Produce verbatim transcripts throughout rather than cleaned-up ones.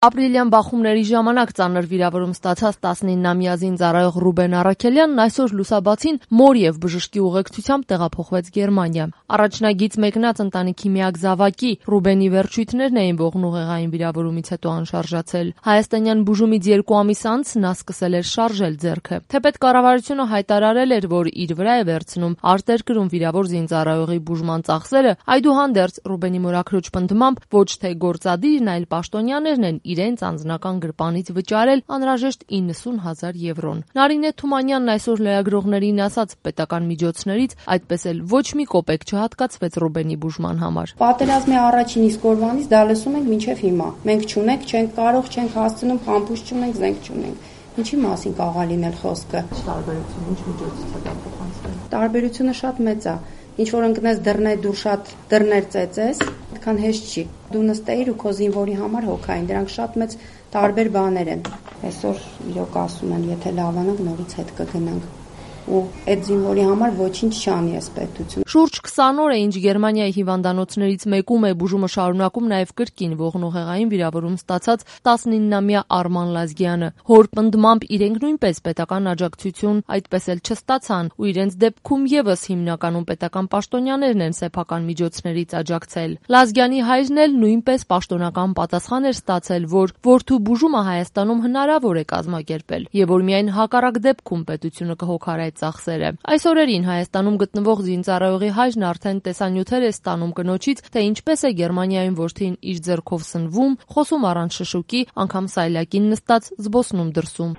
Ապրիլյան բախումների ժամանակ ծանր վիրավորում ստացած տասնիննամյա զինծառայող Ռուբեն Առաքելյանն այսօր լուսաբացին մոր եւ բժշկի ուղեկցությամբ տեղափոխվեց Գերմանիա։ Առաջնագից մեկնած ընտանիքի միակ զավակի Ռուբենի վերջույթներն էին ողնուղեղային վիրավորումից հետո անշարժացել։ Հայաստանյան բուժումից երկու ամիս անց նա սկսել էր շարժել ձեռքը։ Թեպետ կառավարությունը հայտարարել էր, որ իր վրա է վերցնում արտերկրում վիրավոր զինծառայողի բուժման ծախսերը, այդուհանդերձ Ռուբենի մորաքրոջ պնդմամբ ոչ թե գործադիրն, այլ պաշտոնյաներն են իրենց անձնական գրպանից վճարել անհրաժեշտ իննսուն հազար եվրոն։ Նարինե Թումանյանն այսօր լրագրողներին ասաց, պետական միջոցներից այդպես էլ ոչ մի կոպեկ չհատկացվեց Ռուբենի բուժման համար։ Պատերազմի առաջին իսկ օրվանից դա լսում ենք մինչև հիմա։ Մենք չունենք, չենք կարող, չենք հասցնում, համբույր չունենք, զենք չունենք։ Ինչի մասին կարող լինել խոսքը։ Տարբերություն, ինչ միջոցից է դա փոխանցվել։ Տարբերությունը շատ մեծ է։ Ինչ որ ընկնես դռներ դու շատ դռներ ծեծես, այդքան հեշտ չի։ Դու նստեիր ու քո զինվորի համար հոգային, դրանք շատ մեծ տարբեր բաներ են։ Այսօր իրոք ասում են, եթե լավանանք նորից հետ կգնանք։ Ու այդ զինվորի համար ոչինչ չանի այս պետություն։ Շուրջ քսան օր է, ինչ Գերմանիայի հիվանդանոցներից մեկում է բուժումը շարունակում նաև կրկին ողնուղեղային վիրավորում ստացած տասնիննամյա Արման Լազգյանը։ Հոր պնդմամբ իրենք նույնպես պետական աջակցություն այդպես էլ չստացան, ու իրենց դեպքում եւս հիմնականում պետական պաշտոնյաներն են սեփական միջոցներից աջակցել։ Լազգյանի հայրն էլ նույնպես պաշտոնական պատասխան էր ստացել, որ որդու բուժումը Հայաստանում հնարավոր է կազմակերպել եւ որ միայն հակառակ դեպքում պետությունը կհոգար ծախսերը։ Այս օրերին Հայաստանում գտնվող զինծառայողի հայրն արդեն տեսանյութեր է ստանում կնոջից, թե ինչպես է Գերմանիայում որդին իր ձեռքով սնվում, խոսում առանց շշուկի, անգամ սայլակին նստած զբոսնում դրսում։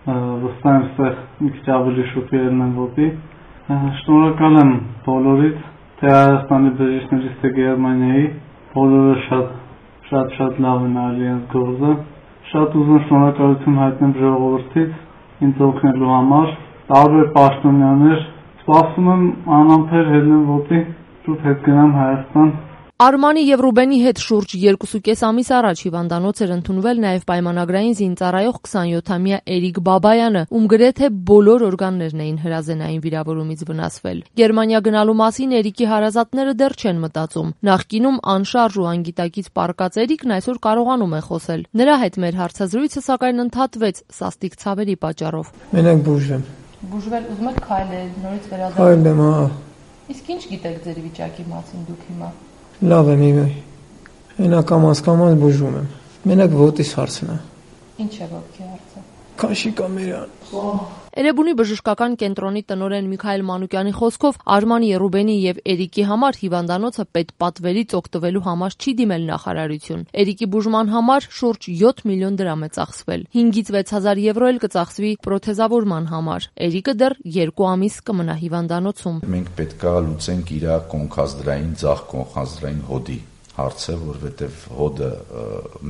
Վստահ եմ, ստեղ մի քիչ ավելի շոկերն են ոտի։ Շնորհակալ եմ բոլորից, թե Հայաստանի բժիշկներից, թե Գերմանիայի, բոլորը շատ շատ շատ լավ են արել իրենց գործը։ Շատ ուզում շնորհակալություն հայտնեմ ժողովրդից ինձ օգնելու համար։ Տարբեր պաշտոնյաներ, սպասում եմ անամբեր հելնեմ ոտի, շուտ հետ գնամ Հայաստան։ Արմանի եւ Ռուբենի հետ շուրջ երկուսուկես ամիս առաջ հիվանդանոց էր ընդունվել նաև պայմանագրային զինծառայող քսանյոթամյա Էրիկ Բաբայանը, ում գրեթե բոլոր օրգաններն էին հրազենային վիրավորումից վնասվել։ Գերմանիա գնալու մասին Էրիկի հարազատները դեռ չեն մտածում։ Նախկինում անշարժ ու անգիտակից պառկած Էրիկն այսօր կարողանում է խոսել։ Նրա հետ մեր հարցազրույցը սակայն ընդհատվեց սաստիկ ցավերի պատճառով։ Մենակ բուժվեմ։ Բուժվել ուզում եք քայլել, նորից վերադառնալ։ Քայլեմ, հա։ Իսկ ինչ գիտեք ձեր վիճակի մասին դուք հիմա։ Լավ եմ իմը։ Հենա կամաց-կամաց բուժվում եմ։ Մենակ ոտիս հարցն է։ Ինչ է ոտքի հարցը։ Քաշի կամերան։ Էրեբունի բժշկական կենտրոնի տնօրեն Միքայել Մանուկյանի խոսքով Արմանի, Ռուբենի եւ Էրիկի համար հիվանդանոցը պետպատվերից օգտվելու համար չի դիմել նախարարություն։ Էրիկի բուժման համար շուրջ յոթ միլիոն դրամ է ծախսվել։ հինգից վեց հազար եվրո էլ կծախսվի պրոթեզավորման համար։ Էրիկը դեռ երկու ամիս կմնա հիվանդանոցում։ Մենք պետքա լուծենք իր կոնքազդրային, ձախ կոնքազդրային հոդի հարցը, որովհետեւ հոդը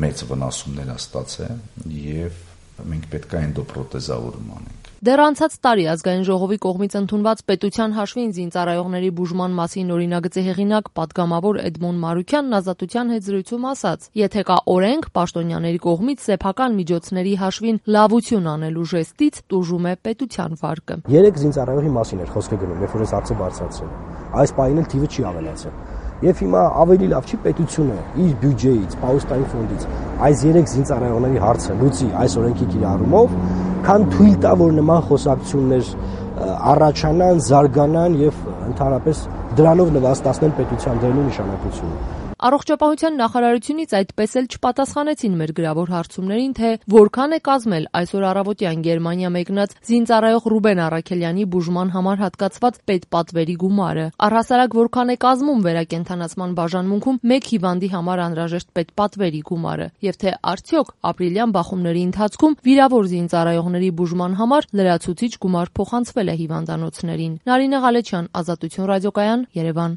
մեծ վնասումներ է ստացել եւ մենք պետք է էնդոպրոթեզավորում անենք։ Դեռ անցած տարի ազգային ժողովի կողմից ընդունված պետության հաշվին զինծառայողների բուժման մասին օրինագծի հեղինակ պատգամավոր Էդմոն Մարուքյանն Ազատության հետ զրույցում ասաց. «Եթե կա օրենք, պաշտոնյաների կողմից սեփական միջոցների հաշվին լավություն անելու ժեստից տուժում է պետության վարկը»։ Երեք զինծառայողի մասին էր խոսքը գնում, երբ որ այս հարցը բարձրացրել։ Այս պահին էլ թիվը չի ավելացել։ Եվ հիմա ավելի լավ չի պետությունը իր բյուջեից, պաուստային ֆոնդից այս երեք զինծառայողների հարցը լուծի այս օրենքի կիրառումով, քան թույլ տա, որ նման խոսակցություններ առաջանան, զարգանան եւ ընդհանրապես դրանով նվաստացնեն պետության դերն ու նշանակությունը։ Առողջապահության նախարարությունից այդպես էլ չպատասխանեցին մեր գրավոր հարցումներին, թե որքան է կազմել այսօր առավոտյան Գերմանիա մեկնած զինծառայող Ռուբեն Առաքելյանի բուժման համար հատկացված պետպատվերի գումարը։ Առհասարակ որքան է կազմում վերակենդանացման բաժանմունքում մեկ հիվանդի համար անհրաժեշտ պետպատվերի գումարը, եւ թե արդյոք ապրիլյան բախումների ընթացքում վիրավոր զինծառայողների բուժման համար լրացուցիչ գումար փոխանցվել է հիվանդանոցներին։ Նարինե Ղալեչյան, Ազատություն ռադիոկայան, Երևան։